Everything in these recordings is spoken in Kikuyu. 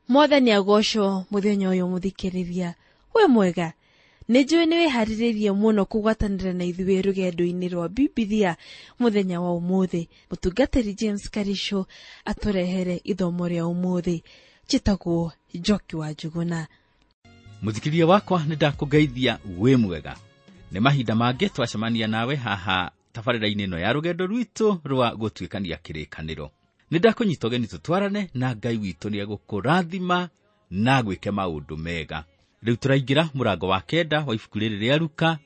Mwathani agocwo muthenya uyu muthikiriria. We mwega, nĩ njũĩ nĩ wĩharĩrĩirie mũno kũgwatanĩra na ithuĩ rũgendo-inĩ rwa Bibilia mũthenya wa ũmũthĩ. Mũtungatĩri James Karisho atũrehere ithomo rĩa ũmũthĩ. Njĩtagwo Njoki wa Njuguna. Mũthikĩrĩria wakwa, nĩ ndakũgeithia wĩ mwega. Nĩ mahinda mangĩ twacemania nawe haha tabarĩra-inĩ ĩno ya rũgendo rwitũ rwa gũtuĩkania kĩrĩkanĩro. Nĩ ndakũnyita ũgeni tũtwarane na Ngai witũ nĩ egũkũrathima na gwĩke maũndũ mega. Rĩu tũraingĩra mũrango wa 9 wa ibuku rĩrĩ rĩa Luka.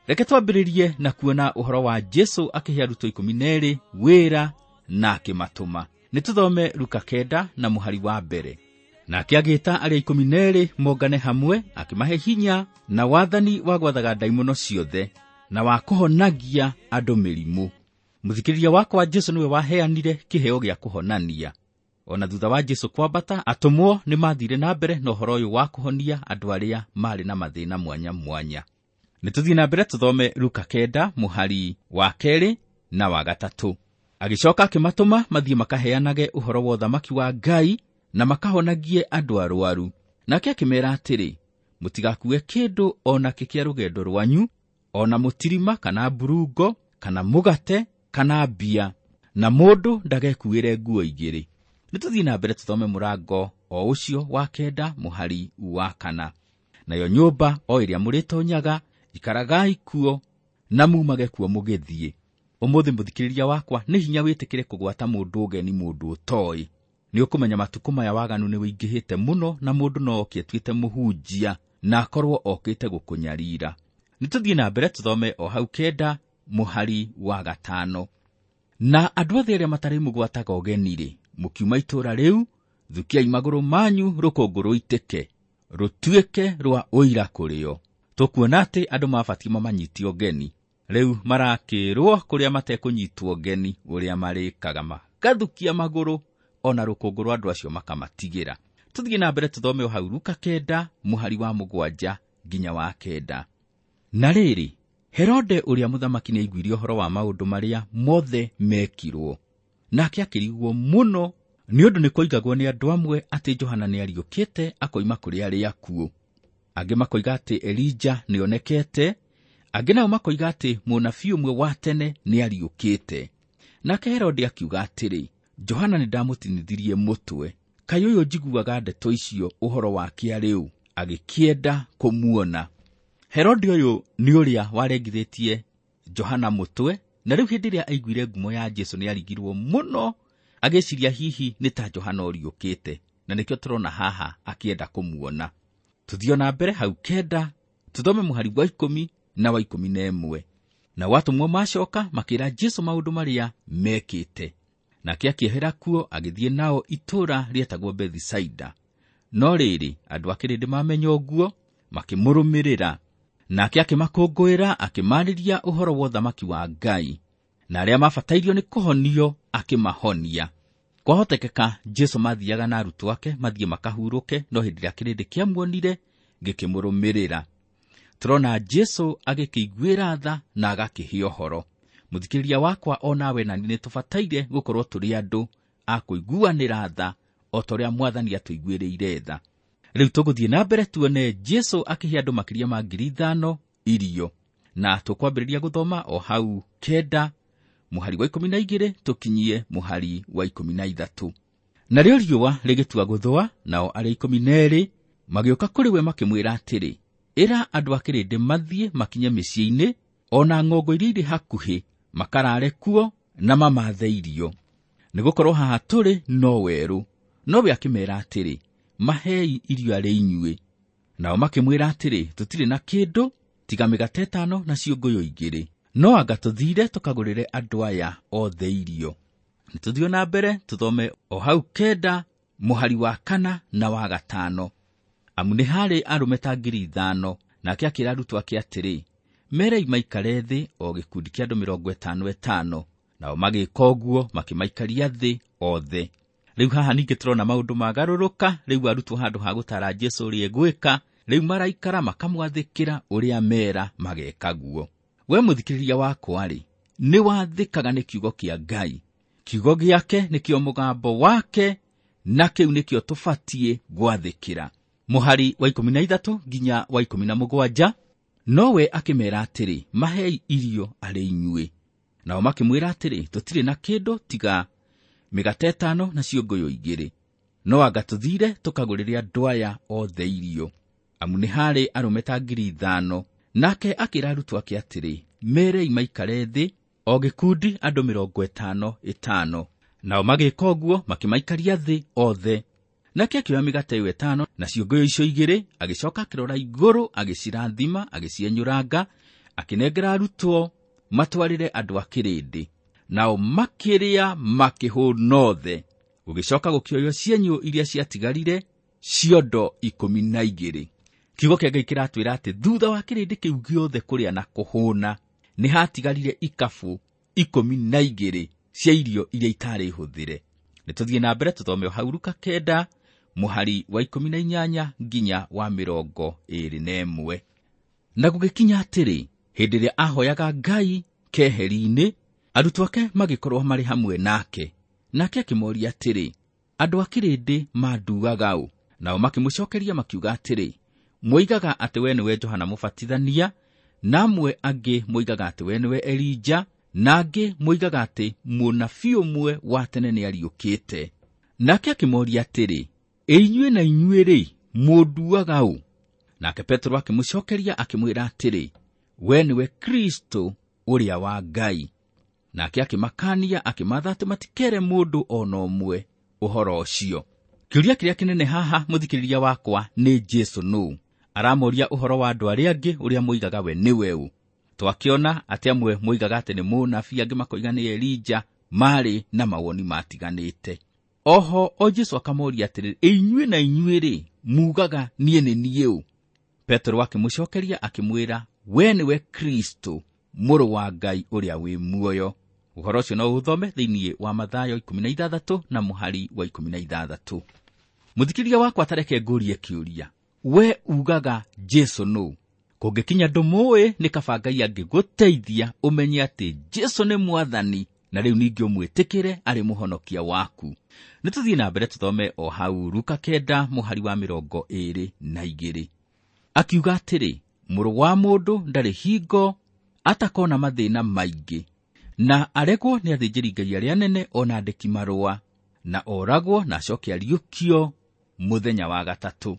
Reke twambĩrĩrie na kuona ũhoro wa Jesũ akĩhe arutwo 12 wĩra na akĩmatũma. Nĩ tũthome Luka 9 na mũhari wa mbere. Nake agĩĩta arĩa 12 mongane hamwe, akĩmahe hinya na wathani wa gwathaga ndaimono ciothe na wa kũhonagia andũ mĩrimũ. Mũthikĩrĩria wakwa, Jesũ nĩwe waheanire kĩheo gĩa kũhonania. Ona thutha wa Jesũ kwambata, atũmwo nĩ mathire na mbere na ũhoro ũyũ wa kũhonia andũ arĩa marĩ na mathĩna mwanya mwanya. Nĩ tũthiĩ na mbere tũthome Luka 9 mũhari wa 2 na wa 3. Agĩcoka akĩmatũma mathiĩ makaheanage ũhoro wa ũthamaki wa Ngai na makahonagie andũ arwaru. Nake akĩmeera atĩrĩ, mũtigakue kĩndũ o nakĩ kĩa rũgendo rwanyu, o na mũtirima kana mburungo kana mũgate kana mbia, na mũndũ ndagekuĩre nguo igĩrĩ. Nĩ tũthiĩ na mbere tũthome mũrango o ũcio wa 9 mũhari wa 4. Nayo nyũmba o ĩrĩa mũrĩtonyaga, ikaragai kuo na mumage kuo mũgĩthiĩ. Ũmũthĩ mũthikĩrĩria wakwa, nĩ hinya wĩtĩkĩre kũgwata mũndũ ũgeni, mũndũ ũtoĩ. Nĩ ũkũmenya matukũ maya waganu nĩ wĩingĩhĩte mũno, na mũndũ no oke atuĩte mũhunjia na akorwo okĩte gũkũnyarira. Nĩ tũthiĩ na mbere tũthome o hau 9 mũhari wa 5. Na andũ othe arĩa matarĩ mũgwataga ũgeni-rĩ, mũkiuma itũũra rĩu, thukiai magũrũ manyu rũkũngũ rũitĩke, rũtuĩke rwa ũira kũrĩo. Tũkuona atĩ andũ mabatiĩ mamanyite ũgeni. Rĩu marakĩrwo kũrĩa matekũnyitwo ũgeni, ũrĩa marĩkaga magathukia magũrũ ona rũkũngũ rwa andũ acio makamatigĩra. Tũthiĩ na mbere tũthome o hau Luka 9 mũhari wa 7 nginya wa 9. Na rĩrĩ, Herode ũrĩa mũthamaki nĩaiguire ũhoro wa maũndũ marĩa mothe mekirwo. Nake akĩrigwo mũno nĩ ũndũ nĩ kwoigagwo nĩ andũ amwe atĩ Johana nĩariũkĩte akoima kũrĩ arĩa akuũ. Angĩ makoiga atĩ Elija nĩonekete, angĩ nao makoiga atĩ mũnabii ũmwe wa tene nĩariũkĩte. Nake Herode akiuga atĩrĩ, Johana nĩndamũtinithirie mũtwe, kaĩ ũyũ njiguaga ndeto icio ũhoro wake arĩ ũ? Agĩkĩenda kũmuona. Herode ũyũ nĩ ũrĩa warengithĩtie Johana mũtwe, na rĩu hĩndĩ ĩrĩa aiguire ngumo ya Jesũ nĩarigirwo mũno, agĩciria hihi nĩ ta Johana ũriũkĩte, na nĩkĩo tũrona haha akĩenda kũmuona. Tũthiĩ na mbere hau 9, tũthome mũhari wa 10 na wa 11. Na atũmwo macoka makĩra Jesũ maũndũ marĩa mekĩte. Nake akĩehera kuo agĩthiĩ nao itũũra rĩetagwo Bethisaida. No rĩrĩ, andũ a kĩrĩndĩ mamenya ũguo, makĩmũrũmĩrĩra. Nake akĩmakũngũĩra, akĩmaarĩria ũhoro wa ũthamaki wa Ngai, na arĩa mabatairio nĩ kũhonio akĩmahonia. Kwahotekeka Jesũ mathiaga na arutwo ake mathiĩ makahurũke, no hĩndĩ ĩrĩa kĩrĩndĩ kĩamuonire gĩkĩmũrũmĩrĩra. Tũrona Jesũ agĩkĩiguĩra tha na agakĩhe ũhoro. Mũthikĩrĩria wakwa, o nawe na niĩ nĩtũbataire gũkorwo tũrĩ andũ a kũiguanĩra tha o ta ũrĩa Mwathani atũiguĩrĩire tha. Rĩu tũgũthiĩ na mbere tuone Jesũ akĩhe andũ makĩria ma 5,000 irio, na tũkwambĩrĩria gũthoma o hau 9 mũhari wa 12 tũkinyie mũhari wa 13. Narĩo riũa rĩgĩtua gũthũa, nao arĩa 12 magĩũka kũrĩ we makĩmwĩra atĩrĩ, ĩra andũ a kĩrĩndĩ mathiĩ makinye mĩciĩ-inĩ o na ng'ongo iria irĩ hakuhĩ, makarare kuo na mamathe irio, nĩgũkorwo haha tũrĩ no werũ. Nowe akĩmeera atĩrĩ, mahei irio arĩ inyuĩ. Nao makĩmwĩra atĩrĩ, tũtirĩ na kĩndũ tiga mĩgate 5 na ciũngũyũ 2, no anga tũthiire tũkagũrĩre andũ aya othe irio. Nĩ tũthiĩ na mbere tũthome o hau 9 mũhari wa 4 na wa 5. Amu nĩ harĩ arũme ta 5,000. Nake akĩra arutwo ake atĩrĩ, merei maikare thĩ o gĩkundi kĩa andũ 55. Nao magĩka ũguo, makĩmaikaria thĩ othe. Rĩu haha ningĩ tũrona maũndũ magarũrũka. Rĩu arutwo handũ ha gũtara Jesũ ũrĩa egwĩka, rĩu maraikara makamwathĩkĩra ũrĩa mera mageka guo. We mũthikĩrĩria wakwa-rĩ, nĩ wathĩkaga nĩ kiugo kĩa Ngai. Kiugo gĩake nĩkĩo mũgambo wake, na kĩu nĩkĩo tũbatiĩ gwathĩkĩra. Mũhari wa 13 nginya wa 17, nowe akĩmera atĩrĩ, mahei irio arĩ inyuĩ. Nao makĩmwĩra atĩrĩ, tũtirĩ na kĩndũ tiga mĩgate 5 na ciũngũyũ 2, no anga tũthire tũkagũrĩre andũ aya othe irio. Amu nĩ harĩ arũme ta 5,000. Nake akĩra arutwo ake atĩrĩ, merei maikare thĩ o gĩkundi andũ 50 50. Nao magĩka ũguo, makĩmaikaria thĩ othe. Nake akĩoya mĩgate ĩyo 5 na ciũngũyũ icio 2, agĩcoka akĩrora igũrũ, agĩcirathima, agĩcienyũranga, akĩnengera arutwo matwarĩre andũ a kĩrĩndĩ. Nao makĩrĩa makĩhũna othe. Gũgĩcoka gũkĩoywo cienyũ iria ciatigarire, ciondo 12. Kiugo kĩa Ngai kĩratwĩra atĩ thutha wa kĩrĩndĩ kĩu gĩothe kũrĩa na kũhũna, nĩ hatigarire ikabu 12 cia irio iria itarĩ hũthĩre. Nĩ tũthiĩ na mbere tũthome o hau Luka 9 mũhari wa 18 nginya wa 21. Na gũgĩkinya atĩrĩ, hĩndĩ ĩrĩa ahoyaga Ngai keheri-inĩ, arutwo ake magĩkorwo marĩ hamwe nake. Nake akĩmoria atĩrĩ, andũ a kĩrĩndĩ manduaga ũ? Nao makĩmũcokeria makiuga atĩrĩ, moigaga atĩ we nĩwe Johana Mũbatithania, na amwe angĩ moigaga atĩ we nĩwe Elija, na angĩ moigaga atĩ mũnabii ũmwe wa tene nĩariũkĩte. Nake akĩmoria atĩrĩ, ĩ inyuĩ na inyuĩ rĩ, mũnduaga ũ? Nake Petero akĩmũcokeria akĩmwĩra atĩrĩ, we nĩwe Kristo ũrĩa wa Ngai. Nake akĩmakania akĩmatha atĩ matikere mũndũ o na ũmwe ũhoro ũcio. Kĩũria kĩrĩa kĩnene haha mũthikĩrĩria wakwa nĩ Jesũ nũũ? Aramoria ũhoro wa andũ arĩa angĩ ũrĩa moigaga we nĩwe ũ. Twakĩona atĩ amwe moigaga atĩ nĩ mũnabii, angĩ makoiga nĩ Elija, marĩ na mawoni matiganĩte. Oho o Jesũ akamoria atĩrĩ, ĩ inyuĩ na inyuĩ rĩ, mugaga niĩ nĩ niĩ ũ? Petero akĩmũcokeria akĩmwĩra, we nĩwe Kristo, mũrũ wa Ngai ũrĩa wĩ muoyo. Ũhoro ũcio no ũthome thĩinĩ wa Mathayo 16 na mũhari wa 16. Mũthikĩrĩria wakwa, tareke ngũrie kĩũria, we ugaga Jesũ nũũ? Kũngĩkinya ndũmũĩ, nĩ kaba Ngai angĩgũteithia ũmenye atĩ Jesũ nĩ Mwathani, na rĩu ningĩ ũmwĩtĩkĩre arĩ mũhonokia waku. Nĩ tũthiĩ na mbere tũthome o hau Luka 9 mũhari wa 22. Akiuga atĩrĩ, mũrũ wa mũndũ ndarĩ hingo atakona mathĩna maingĩ, na aregwo nĩ athĩnjĩri-Ngai arĩa anene o na andĩki marũa, na oragwo na acoke ariũkio mũthenya wa gatatũ.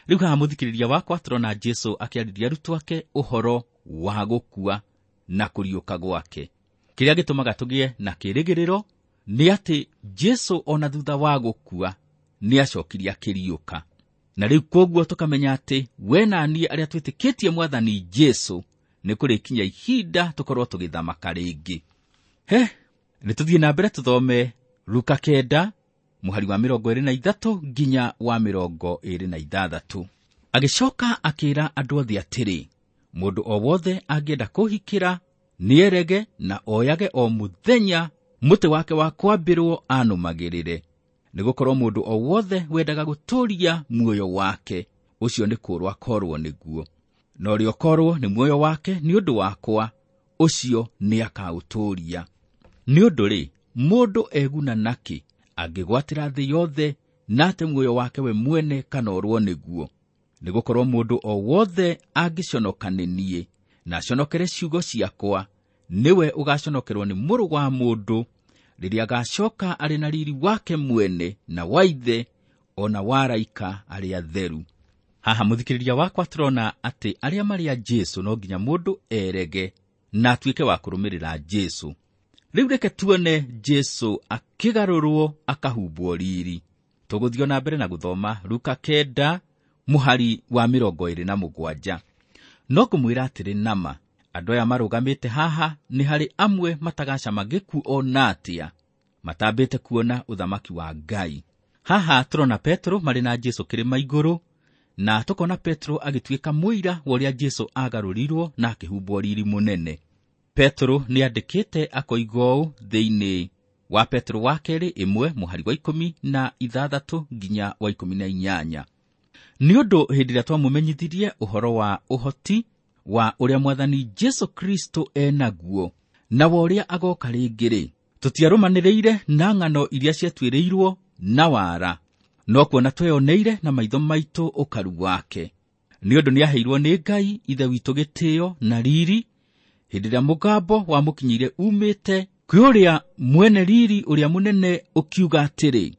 Rĩu haha mũthikĩrĩria wakwa tũrona Jesũ akĩarĩria arutwo ake ũhoro wa gũkua na kũriũka gwake. Kĩrĩa gĩtũmaga tũgĩe na kĩĩrĩgĩrĩro nĩ atĩ Jesũ ona thutha wa gũkua nĩ acokirie akĩriũka. Na rĩu kwoguo tũkamenya atĩ we na niĩ arĩa twĩtĩkĩtie Mwathani Jesũ nĩ kũrĩkinya ihinda tũkorwo tũgĩthamaka rĩngĩ. He, nĩ tũthiĩ na mbere tũthome Luka 9 mũhari wa 23 nginya wa 26. Agĩcoka akĩra andũ othe atĩrĩ, mũndũ o wothe angĩenda kũhikĩra nĩerege na oyage o mũthenya mũtĩ wake wa kwambĩrwo anũmagĩrĩre, nĩgũkorwo mũndũ o wothe wendaga gũtũũria muoyo wake ũcio nĩ kũũrwo akorwo nĩguo, na ũrĩa ũkorwo nĩ muoyo wake nĩ ũndũ wakwa ũcio nĩakaũtũũria. Nĩ ũndũ rĩ, mũndũ eguna nakĩ angĩgwatĩra thĩ yothe na ate muoyo wake we mwene kana orwo nĩguo? Nĩgũkorwo mũndũ o wothe angĩconoka nĩ niĩ na aconokere ciugo ciakwa, nĩwe ũgaconokerwo nĩ mũrũ wa mũndũ rĩrĩa agacoka arĩ na riri wake mwene na wa ithe o na wa araika arĩa atheru. Haha mũthikĩrĩria wakwa tũrona atĩ arĩa marĩ a Jesũ no nginya mũndũ erege na atuĩke wa kũrũmĩrĩra Jesũ. Rĩu reke tuone Jesũ akĩgarũrwo akahumbwo riri. Tũgũthiĩ na mbere na gũthoma Luka 9 mũhari wa 27. No ngũmwĩra atĩrĩ nama, andũ aya marũgamĩte haha nĩ harĩ amwe matagacama gĩkuũ o na atĩa, matambĩte kuona ũthamaki wa Ngai. Haha tũrona Petero marĩ na Jesũ kĩrĩma igũrũ, na tũkona Petero agĩtuĩka mũira wa ũrĩa Jesũ agarũrirwo na akĩhumbwo riri mũnene. Petero nĩandĩkĩte akoiga ũũ thĩinĩ wa Petero wa kerĩ 1 mũhari wa 16 nginya wa 18. Nĩ ũndũ hĩndĩ ĩrĩa twamũmenyithirie ũhoro wa ũhoti wa ũrĩa Mwathani Jesũ Kristo enaguo na wa ũrĩa agoka rĩngĩ-rĩ, tũtiarũmanĩrĩire na ng'ano iria ciatuĩrĩirwo na wara, no kuona tweyoneire na maitho maitũ ũkaru wake. Nĩ ũndũ nĩaheirwo nĩ Ngai Ithe witũ gĩtĩo na riri hĩndĩ ĩrĩa mũgambo wamũkinyĩire umĩte kwĩ ũrĩa mwene riri ũrĩa mũnene ũkiuga atĩrĩ,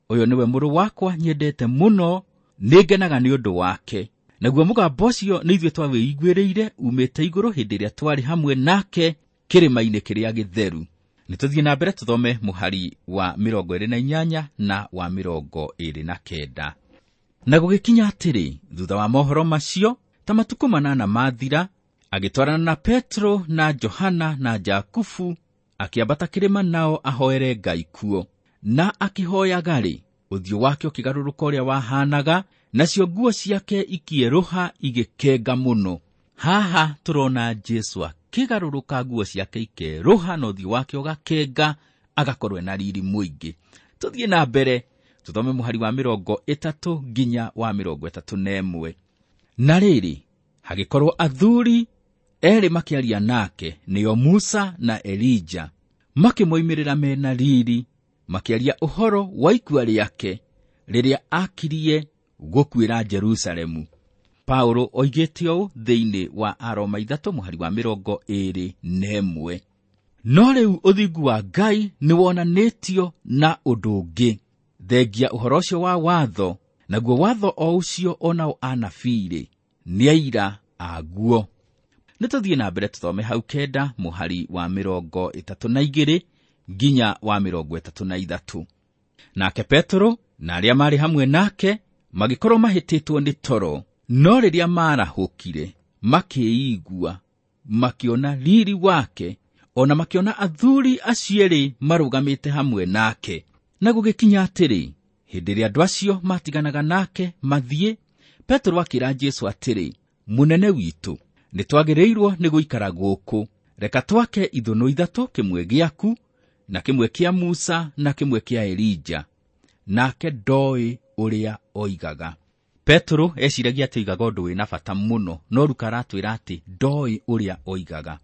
ũyũ nĩwe mũrũ wakwa nyendete mũno, nĩngenaga nĩ ũndũ wake. Naguo mũgambo ũcio nĩ ithuĩ twawĩiguĩrĩire umĩte igũrũ hĩndĩ ĩrĩa twarĩ hamwe nake kĩrĩma-inĩ kĩrĩa gĩtheru. Nĩ tũthiĩ na mbere tũthome mũhari wa 28 na wa 29. Na gũgĩkinya atĩrĩ, thutha wa mohoro macio, ta matukũ 8 mathira, agĩtwarana na Petro na Johana na Jakubu, akĩambata kĩrĩma nao ahoere Ngai kuo. Na akĩhoyaga-rĩ, ũthiũ wake ũkĩgarũrũka ũrĩa wahanaga, nacio nguo ciake ikĩerũha igĩkenga mũno. Haha tũrona Jesu akĩgarũrũka, nguo ciake ikerũha na ũthiũ wake ũgakenga, agakorwo na riri mũingĩ. Tũthiĩ na mbere tũthome mũhari wa 30 nginya wa 31. Na rĩrĩ, hagĩkorwo athuri erĩ makĩaria nake, nĩo Musa na Elija, makĩmoimĩrĩra mena riri, makĩaria ũhoro wa ikua rĩake rĩrĩa akirie gũkuĩra Jerusalemu. Paulo oigĩte ũũ thĩinĩ wa Aroma 3 mũhari wa 21. No rĩu ũthingu wa Ngai nĩwonanĩtio na ũndũ ũngĩ, thengia ũhoro ũcio wa watho, naguo watho o ũcio onao anabii-rĩ nĩ aira aguo. Nĩ tũthiĩ na mbere tũthome hau 9 mũhari wa 32 nginya wa 33. Nake Petero na arĩa maarĩ hamwe nake magĩkorwo mahĩtĩtwo nĩ toro, no rĩrĩa maarahũkire makĩigua, makĩona riri wake, ona makĩona athuri acio erĩ marũgamĩte hamwe nake. Na gũgĩkinya atĩrĩ, hĩndĩ ĩrĩa andũ acio matiganaga nake mathiĩ, Petero akĩra Jesu atĩrĩ, mũnene witũ, nĩtwagĩrĩirwo nĩ gũikara gũkũ. Reka twake ithũnũ 3, kĩmwe gĩaku na kĩmwe kĩa Musa na kĩmwe kĩa Elija. Nake ndoĩ ũrĩa oigaga. Petero eciragia atĩ oigaga ũndũ wĩna bata mũno, no Luka aratwĩra atĩ ndoĩ ũrĩa oigaga.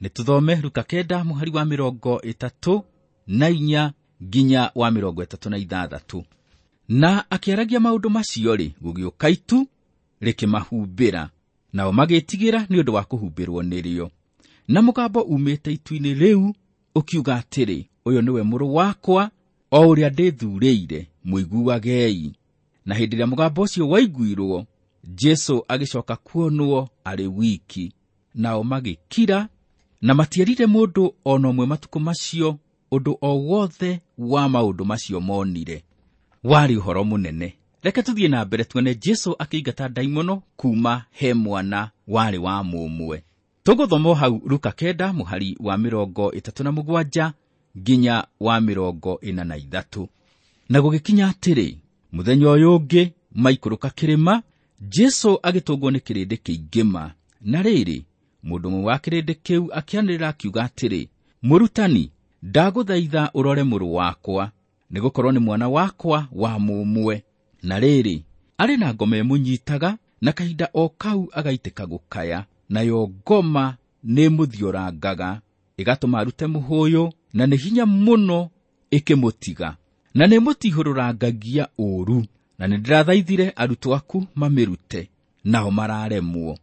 Nĩ tũthome Luka 9 mũhari wa 34 nginya wa 36. Na akĩaragia maũndũ macio-rĩ, gũgĩũka itu rĩkĩmahumbĩra, nao magĩtigĩra nĩ ũndũ wa kũhumbĩrwo nĩrĩo. Na mũgambo umĩte itu-inĩ rĩu ũkiuga atĩrĩ, ũyũ nĩwe mũrũ wakwa, o ũrĩa ndĩthurĩire, mũiguagei. Na hĩndĩ ĩrĩa mũgambo ũcio waiguirwo, Jesu agĩcoka kuonwo arĩ wiki. Nao magĩkira, na matierire mũndũ ona ũmwe matukũ macio ũndũ o wothe wa maũndũ macio monire. Warĩ ũhoro mũnene. Reke tũthiĩ na mbere tuone Jesu akĩingata ndaimono kuma he mwana warĩ wa mũmwe. Tũgũthoma hau Luka 9 mũhari wa 37 nginya wa 43. Na gũgĩkinya atĩrĩ, mũthenya ũyũ ũngĩ maikũrũka kĩrĩma, Jesu agĩtũngwo nĩ kĩrĩndĩ kĩingĩ. Na rĩrĩ, mũndũ ũmwe wa kĩrĩndĩ kĩu akĩanĩrĩra akiuga atĩrĩ, mũrutani, ndagũthaitha ũrore mũrũ wakwa, nĩgũkorwo nĩ mwana wakwa wa mũmwe. Na rĩrĩ, arĩ na ngoma ĩmũnyitaga, na kahinda o kau agaitĩka gũkaya, nayo ngoma nĩĩmũthiorangaga, ĩgatũma arute mũhũyũ, na nĩ hinya mũno ĩkĩmũtiga, na nĩĩmũtihũrũrangagia ũũru. Na nĩndĩrathaithire arutwo aku mamĩrute, nao mararemwo.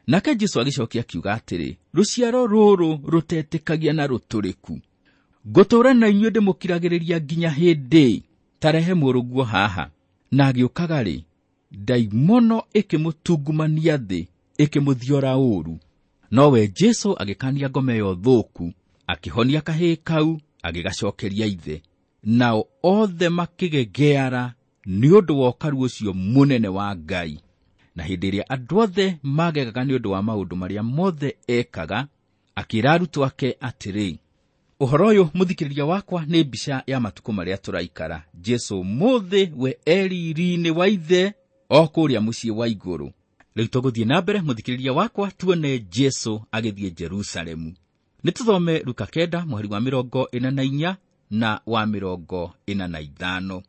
Nake Jesu agĩcokia akiuga atĩrĩ, rũciaro rũrũ rũtetĩkagia na rũtũrĩku, ngũtũũra na inyuĩ ndĩmũkiragĩrĩria nginya hĩndĩ? Ta rehe mũrũguo haha. Na agĩũkaga-rĩ, ndaimono ĩkĩmũtungumania thĩ, ĩkĩmũthiora ũũru. Nowe Jesu agĩkania ngoma ĩyo thũku, akĩhonia kahĩĩ kau, agĩgacokeria ithe. Nao othe makĩgegeara nĩ ũndũ wa ũkaru ũcio mũnene wa Ngai. Na hĩndĩ ĩrĩa andũ othe magegaga nĩ ũndũ wa maũndũ marĩa mothe ekaga, akĩĩra arutwo ake atĩrĩ, ũhoro ũyũ mũthikĩrĩria wakwa nĩ mbica ya matukũ marĩa tũraikara. Jesu mũthĩ we eriri-inĩ wa ithe o kũrĩa mũciĩ wa igũrũ. Rĩu tũgũthiĩ na mbere mũthikĩrĩria wakwa tuone Jesu agĩthiĩ Jerusalemu. Nĩ tũthome Luka 9 mũhari wa 44 na wa 45.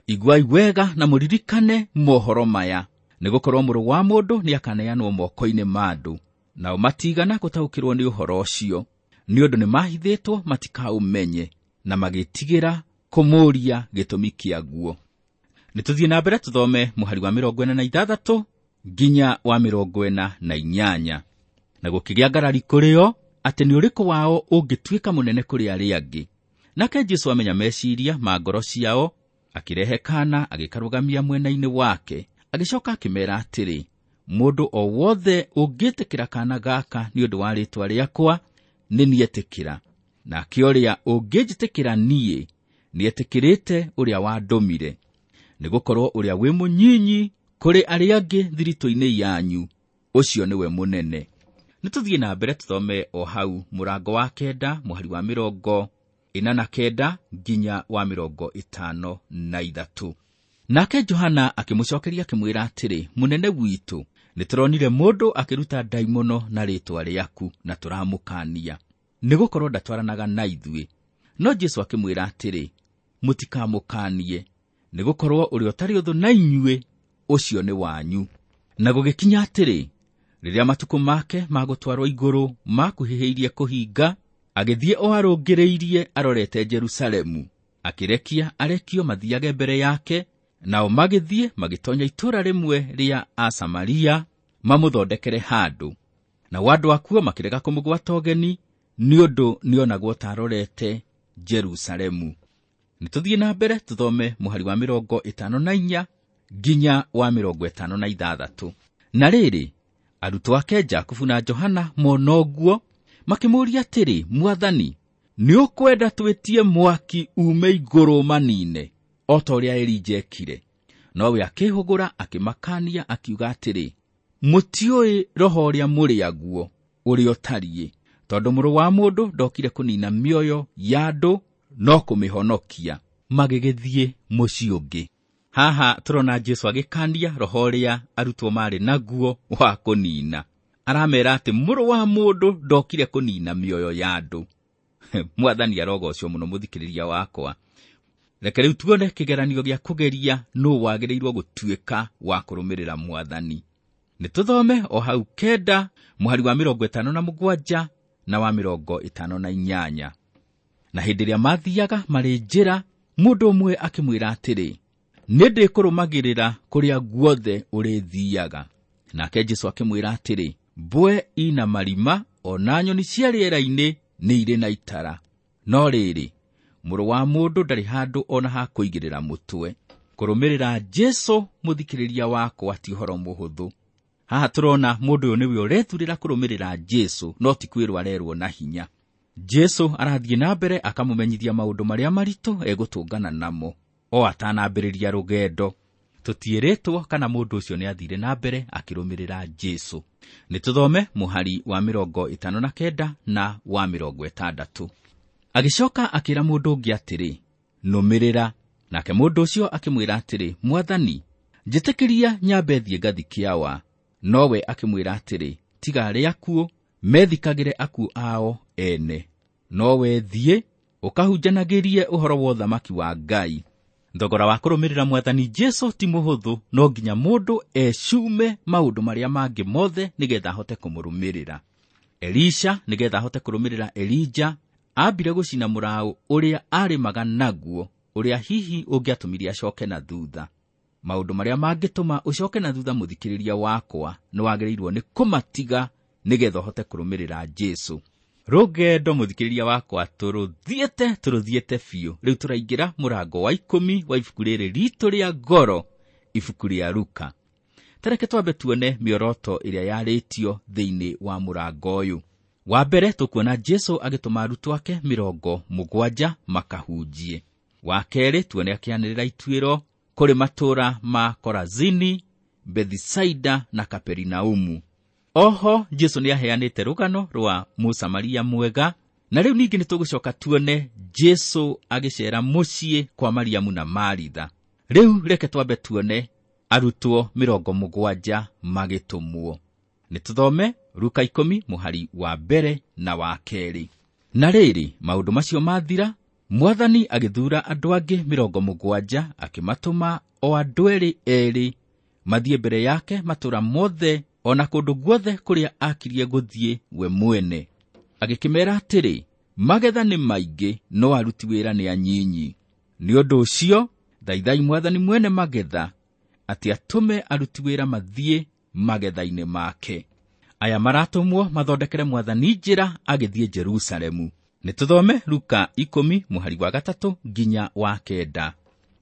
Iguai wega na mũririkane mohoro maya, nĩgũkorwo mũrũ wa mũndũ nĩakaneanwo moko-inĩ ma andũ. Nao matigana gũtaũkĩrwo nĩ ũhoro ũcio, nĩ ũndũ nĩmahithĩtwo matikaũmenye, na magĩtigĩra kũmũũria gĩtũmi kĩaguo. Nĩ tũthiĩ na mbere tũthome mũhari wa 46 nginya wa 48. Na gũkĩgĩa ngarari kũrĩ o atĩ nĩ ũrĩkũ wao ũngĩtuĩka mũnene kũrĩ arĩa angĩ. Nake Jesũ amenya meciria ma ngoro ciao, akĩrehe kaana agĩkarũgamia mwena-inĩ wake, agĩcoka akĩmeera atĩrĩ, mũndũ o wothe ũngĩtĩkĩra kaana gaka nĩ ũndũ wa rĩĩtwa rĩakwa, nĩ nietĩkĩra. Nake ũrĩa ũngĩnjĩtĩkĩra niĩ, nĩetĩkĩrĩte ũrĩa wandũmire. Nĩgũkorwo ũrĩa wĩ mũnyinyi kũrĩ arĩa angĩ thiritũ-inĩ yanyu, ũcio nĩwe mũnene. Nĩ tũthiĩ na mbere tũthome o hau mũrango wa 9 mũhari wa 49 nginya wa 53. Nake Johana akĩmũcokeria akĩmwĩra atĩrĩ, mũnene witũ, nĩtũronire mũndũ akĩruta ndaimono na rĩĩtwa rĩaku na tũramũkaania, nĩgũkorwo ndatwaranaga na ithuĩ. No Jesũ akĩmwĩra atĩrĩ, mũtikamũkaanie, nĩgũkorwo ũrĩa ũtarĩ ũthũ na inyuĩ, ũcio nĩ wanyu. Na gũgĩkinya atĩrĩ, rĩrĩa matukũ make ma gũtwarwo igũrũ makuhĩhĩirie kũhinga, agĩthiĩ o arũngĩrĩirie arorete Jerusalemu, akĩrekia arekio mathiage mbere yake, nao magĩthiĩ magĩtonya itũũra rĩmwe rĩa Asamaria mamũthondekere handũ. Nao andũ akuo makĩrega kũmũgwata ũgeni, nĩ ũndũ nĩonagwo ta arorete Jerusalemu. Nĩ tũthiĩ na mbere tũthome mũhari wa 54 nginya wa 56. Na rĩrĩ, arutwo ake Jakubu na Johana mona ũguo, makĩmũũria atĩrĩ, Mwathani, nĩ ũkwenda twĩtie mwaki ume igũrũ manine, o ta ũrĩa Elija ekire? Nowe akĩhũgũra akĩmakania akiuga atĩrĩ, mũtiũĩ roho ũrĩa mũrĩ aguo ũrĩa ũtariĩ, tondũ mũrũ wa mũndũ ndokire kũnina mĩoyo ya andũ no kũmĩhonokia. Magĩgĩthiĩ mũciĩ ũngĩ. Haha tũrona Jesũ agĩkania roho ũrĩa arutwo marĩ naguo wa kũnina. Aramera atĩ mũrũ wa mũndũ ndokire kũnina mĩoyo ya andũ. Mwathani arogocwo mũno mũthikĩrĩria wakwa. Reke rĩu tuone kĩgeranio gĩa kũgeria nũ wagĩrĩirwo gũtuĩka wa kũrũmĩrĩra Mwathani. Nĩ tũthome o hau 9 mũhari wa 57 na wa 58. Na hĩndĩ ĩrĩa mathiaga marĩ njĩra, mũndũ ũmwe akĩmwĩra atĩrĩ, nĩ ndĩkũrũmagĩrĩra kũrĩa guothe ũrĩthiaga. Nake Jesũ akĩmwĩra atĩrĩ, mbwe ina marima o na nyoni cia rĩera-inĩ nĩ irĩ na itara, no rĩrĩ, mũrũ wa mũndũ ndarĩ handũ ona ha kũigĩrĩra mũtwe. Kũrũmĩrĩra Jesũ mũthikĩrĩria wakwa ti ũhoro mũhũthũ. Haha tũrona mũndũ ũyũ nĩwe ũrethurĩra kũrũmĩrĩra Jesũ, no ti kwĩrwo arerwo na hinya. Jesũ arathiĩ na mbere akamũmenyithia maũndũ marĩa maritũ egũtũngana namo o atanambĩrĩria rũgendo. Tũtiĩrĩtwo kana mũndũ ũcio nĩathire na mbere akĩrũmĩrĩra Jesũ. Nĩ tũthome mũhari wa 59 na wa 60. Agĩcoka akĩra mũndũ ũngĩ atĩrĩ, nũmĩrĩra. Nake mũndũ ũcio akĩmwĩra atĩrĩ, Mwathani, njĩtĩkĩria nyambe thiĩ ngathike awa. Nowe akĩmwĩra atĩrĩ, tiga arĩa akuũ methikagĩre akuũ ao ene, nowe thiĩ ũkahunjanagĩrie ũhoro wa ũthamaki wa Ngai. Thogora wa kũrũmĩrĩra Mwathani Jesũ ti mũhũthũ, no nginya mũndũ ecume maũndũ marĩa mangĩ mothe nĩgetha ahote kũmũrũmĩrĩra. Elisha nĩgetha ahote kũrũmĩrĩra Elija, ambire gũcina mũraũ ũrĩa arĩmaga naguo, ũrĩa hihi ũngĩatũmire acoke na thutha. Maũndũ marĩa mangĩtũma ũcoke na thutha mũthikĩrĩria wakwa, nĩwagĩrĩirwo nĩ kũmatiga nĩgetha ũhote kũrũmĩrĩra Jesũ. Rũgendo mũthikĩrĩria wakwa tũrũthiĩte biũ. Rĩu tũraingĩra mũrango wa 10 wa ibuku rĩrĩ ritũ rĩa ngoro, ibuku rĩa Luka. Tareke twambe tuone mĩoroto ĩrĩa yarĩtio thĩinĩ wa mũrango ũyũ. Wa mbere tũkuona Jesũ agĩtũma arutwo ake 70 makahunjie. Wa kerĩ tuone akĩanĩrĩra ituĩro kũrĩ matũũra ma Korazini, Bethisaida na Kaperinaumu. Oho Jesũ nĩaheanĩte rũgano rwa Mũsamaria mwega, na rĩu ningĩ nĩtũgũcoka tuone Jesũ agĩceera mũciĩ kwa Mariamu na Maritha. Rĩu reke twambe tuone arutwo 70 magĩtũmwo. Nĩtũthome Luka 10 mũhari wa 1 na wa 2. Na rĩrĩ, maũndũ macio mathira, Mwathani agĩthuura andũ angĩ 70 akĩmatũma o andũ erĩ erĩ mathiĩ mbere yake matũũra mothe o na kũndũ guothe kũrĩa akirie gũthiĩ we mwene. Agĩkĩmeera atĩrĩ, magetha nĩ maingĩ no aruti wĩra nĩ anyinyi. Nĩ ũndũ ũcio thaithai Mwathani mwene magetha atĩ atũme aruti wĩra mathiĩ magetha-inĩ make. Aya maratũmwo mathondekere Mwathani njĩra agĩthiĩ Jerusalemu. Nĩ tũthome Luka 10 mũhari wa 3 nginya wa 9.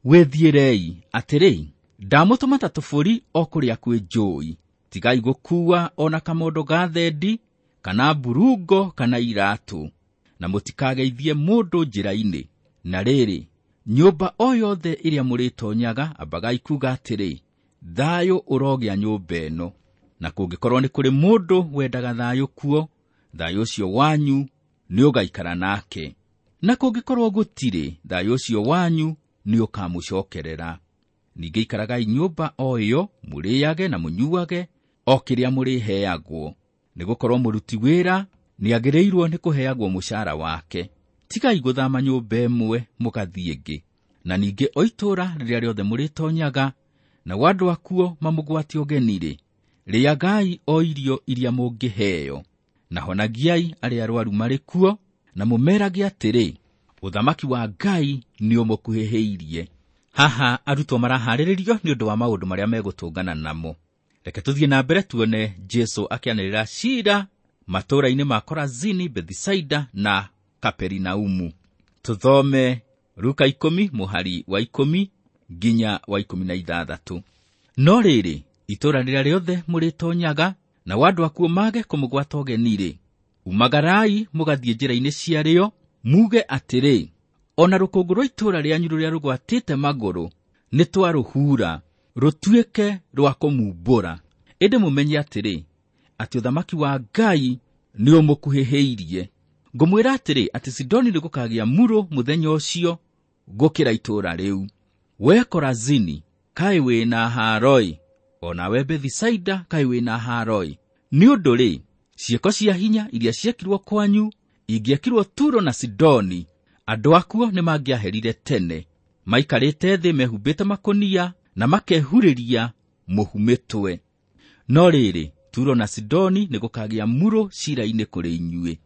Wĩthiĩrei atĩrĩ, ndamũtũma ta tũbũri o kũrĩa kwĩ njũũi. Tigai gũkuua o na kamondo ga thendi, kana mburungo, kana iratũ, na mũtikageithie mũndũ njĩra-inĩ. Na rĩrĩ, nyũmba o yothe ĩrĩa mũrĩtonyaga, ambagai kuuga atĩrĩ, thayũ ũrogĩa nyũmba ĩno. Na kũngĩkorwo nĩ kũrĩ mũndũ wendaga thayũ kuo, thayũ ũcio wanyu nĩũgaikara nake. Na kũngĩkorwo gũtirĩ, thayũ ũcio wanyu nĩũkamũcokerera. Ningĩ ikaragai nyũmba o ĩyo, mũrĩage na mũnyuage o kĩrĩa mũrĩheagwo, nĩgũkorwo mũruti wĩra nĩagĩrĩirwo nĩ kũheagwo mũcara wake. Tigai gũthama nyũmba ĩmwe mũgathiĩ ĩngĩ. Na ningĩ o itũũra rĩrĩa rĩothe mũrĩtonyaga, na andũ akuo mamũgwate ũgeni-rĩ, rĩagai o irio iria mũngĩheo, na honagiai arĩa arwaru marĩ kuo, na mũmerage atĩrĩ, ũthamaki wa Ngai nĩũmũkuhĩhĩirie. Haha arutwo maraharĩrĩrio nĩ ũndũ wa maũndũ marĩa megũtũngana namo. Reke tũthiĩ na mbere tuone Jesũ akĩanĩrĩra ciira matũũra-inĩ ma Korazini, Bethisaida na Kaperinaumu. Tũthome Luka 10 mũhari wa 10 nginya wa 16. No rĩrĩ, itũũra rĩrĩa rĩothe mũrĩtonyaga, na andũ akuo mage kũmũgwata ũgeni-rĩ, umagarai mũgathiĩ njĩra-inĩ ciarĩo, muge atĩrĩ, ona rũkũngũ rwa itũũra rĩanyu rũrĩa rũgwatĩte magũrũ nĩtwarũhura, rũtuĩke rwa kũmumbũra. Ĩndĩ mũmenye atĩrĩ, atĩ ũthamaki wa Ngai nĩũmũkuhĩhĩirie. Ngũmwĩra atĩrĩ, atĩ Sidoni nĩgũkagĩa murũ mũthenya ũcio gũkĩra itũũra rĩu. We Korazini, kaĩ wĩna haaroi, o nawe Bethisaida, kaĩ wĩna haaroi. Nĩ ũndũ rĩ, ciĩko cia hinya iria ciekirwo kwanyu ingĩekirwo Turo na Sidoni, andũ akuo nĩmangĩaherire tene, maikarĩte thĩ mehumbĩte makũnia na makehurĩria mũhu mĩtwe. No rĩrĩ, Turo na Sidoni nĩgũkagĩa murũ ciira-inĩ kũrĩ inyuĩ.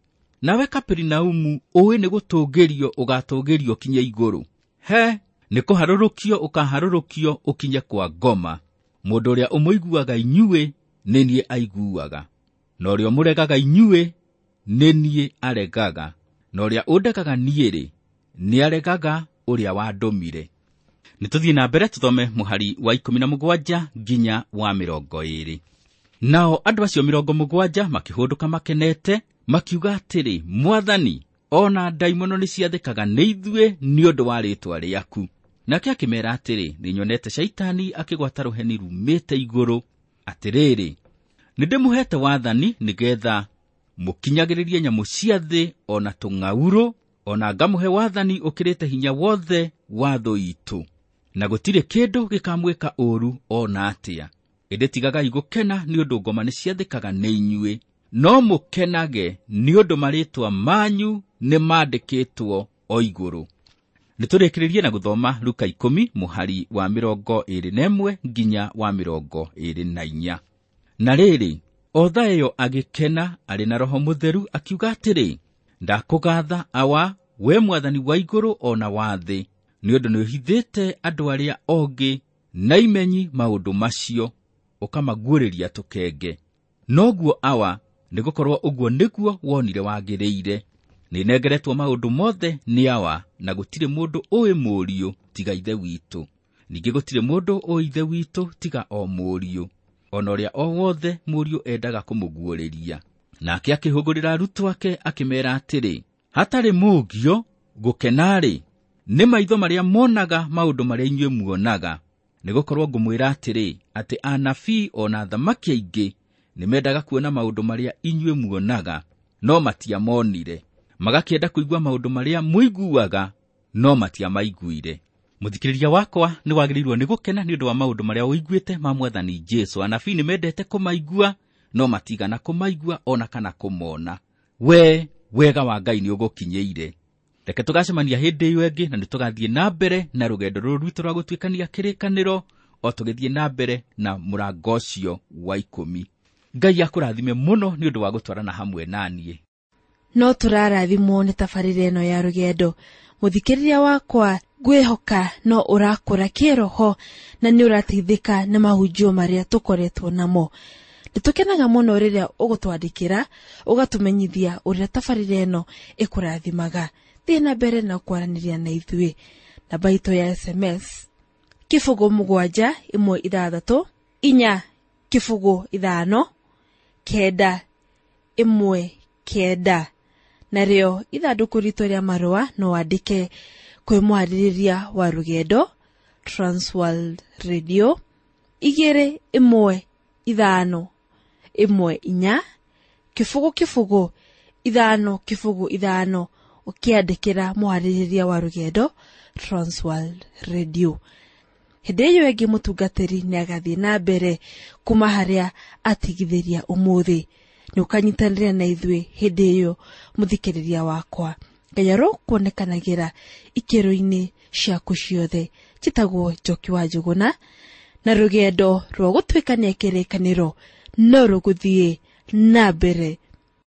Nawe Kaperinaumu, ũĩ nĩgũtũũgĩrio ũgatũũgĩrio ũkinye igũrũ. He, nĩkũharũrũkio ũkaharũrũkio ũkinye kwa ngoma. Mũndũ ũrĩa ũmũiguaga inyuĩ nĩ niĩ aiguaga, na ũrĩa ũmũregaga inyuĩ nĩ niĩ aregaga, na ũrĩa ũndegaga niĩ-rĩ, nĩaregaga ũrĩa wandũmire. Nĩtũthiĩ na mbere tũthome mũhari wa 17 nginya wa 20. Nao andũ acio 70 makĩhũndũka makenete, makiuga atĩrĩ, Mwathani, ona ndaimono nĩciathĩkaga nĩ ithuĩ nĩ ũndũ wa rĩĩtwa rĩaku. Nake akĩmeera atĩrĩ, nĩnyonete Shaitani akĩgwata rũheni rumĩte igũrũ. Atĩrĩrĩ, nĩndĩmũheete wathani nĩgeetha mũkinyagĩrĩrie nyamũ cia thĩ o na tũng'aurũ, o na ngamũhe wathani ũkĩrĩte hinya wothe wa thũ itũ, na gũtirĩ kĩndũ gĩkamwĩka ũũru o na atĩa. Ĩndĩ tigagai gũkena nĩ ũndũ ngoma nĩciathĩkaga nĩ inyuĩ, no mũkenage nĩ ũndũ marĩĩtwa manyu nĩmandĩkĩtwo o igũrũ. Nĩtũrĩkĩrĩrie na gũthoma Luka 10 mũhari wa 21 nginya wa 24. Na rĩrĩ, o thaa ĩyo agĩkena arĩ na Roho Mũtheru akiuga atĩrĩ, ndakũgaatha Awa, we Mwathani wa igũrũ o na wa thĩ, nĩ ũndũ nĩũhithĩte andũ arĩa ogĩ na imenyi maũndũ macio, ũkamaguũrĩria tũkenge. Noguo Awa, nĩgũkorwo ũguo nĩguo wonire wagĩrĩire. Nĩnengeretwo maũndũ mothe nĩ Awa, na gũtirĩ mũndũ ũĩ Mũriũ tiga Ithe witũ. Ningĩ gũtirĩ mũndũ ũĩ Ithe witũ tiga o Mũriũ, o na ũrĩa o wothe Mũriũ endaga kũmũguũrĩria. Nake akĩhũgũrĩra arutwo ake akĩmeera atĩrĩ, hatarĩ mũũgio gũkena-rĩ, nĩ maitho marĩa monaga maũndũ marĩa inyuĩ muonaga. Nĩgũkorwo ngũmwĩra atĩrĩ, atĩ anabii o na athamaki aingĩ nĩmendaga kuona maũndũ marĩa inyuĩ muonaga, no matiamonire. Magakĩenda kũigua maũndũ marĩa mũiguaga, no matiamaiguire. Mũthikĩrĩria wakwa, nĩwagĩrĩirwo nĩ gũkena nĩ ũndũ wa maũndũ marĩa ũiguĩte ma Mwathani Jesũ. Anabii nĩmendete kũmaigua, no matigana kũmaigua o na kana kũmona. We, wega wa Ngai nĩũgũkinyĩire. Reke tũgacemania hĩndĩ ĩyo ĩngĩ, na nĩtũgathiĩ na mbere na rũgendo rũrũ rwitũ rwa gũtuĩkania kĩrĩkanĩro, o tũgĩthiĩ na mbere na mũrango ũcio wa 10. Ngai akũrathime mũno nĩ ũndũ wa gũtwarana hamwe na niĩ. No tũrarathimwo nĩ tabarĩra ĩno ya rũgendo. Mũthikĩrĩria wakwa, Ngwĩhoka no ũrakũra kĩroho na nĩ ũrateithĩka nĩ mahunjio marĩa tũkoretwo namo. Nĩ tũkenaga mũno rĩrĩa ũgũtwandĩkĩra ũgatũmenyithia ũrĩa tabarĩra ĩno ĩkũrathimaga. Thiĩ na mbere na kwaranĩria na ithuĩ. Namba itũ ya SMS 0 7 1 6 4 0 5 9 1 9. Narĩo ithandũkũ ritũ rĩa marũa no wandĩke kwĩ mwarĩrĩria wa rũgendo Transworld Radio 2 1 5 1 4 0 0 5 0 5, ũkĩandĩkĩra mwarĩrĩria wa rũgendo Transworld Radio. Hĩndĩ ĩyo ĩngĩ mũtungatĩri nĩ agathiĩ na mbere kuma harĩa atigithĩria ũmũthĩ. Nĩ ũkanyitanĩra na ithuĩ hĩndĩ ĩyo mũthikĩrĩria wakwa. Ngai arokuonekanagĩra ikĩro-inĩ ciaku ciothe. Njĩtagwo Njoki wa Njũgũna, na rũgendo rwa gũtuĩkania kĩrĩkanĩro no rũgũthiĩ na mbere.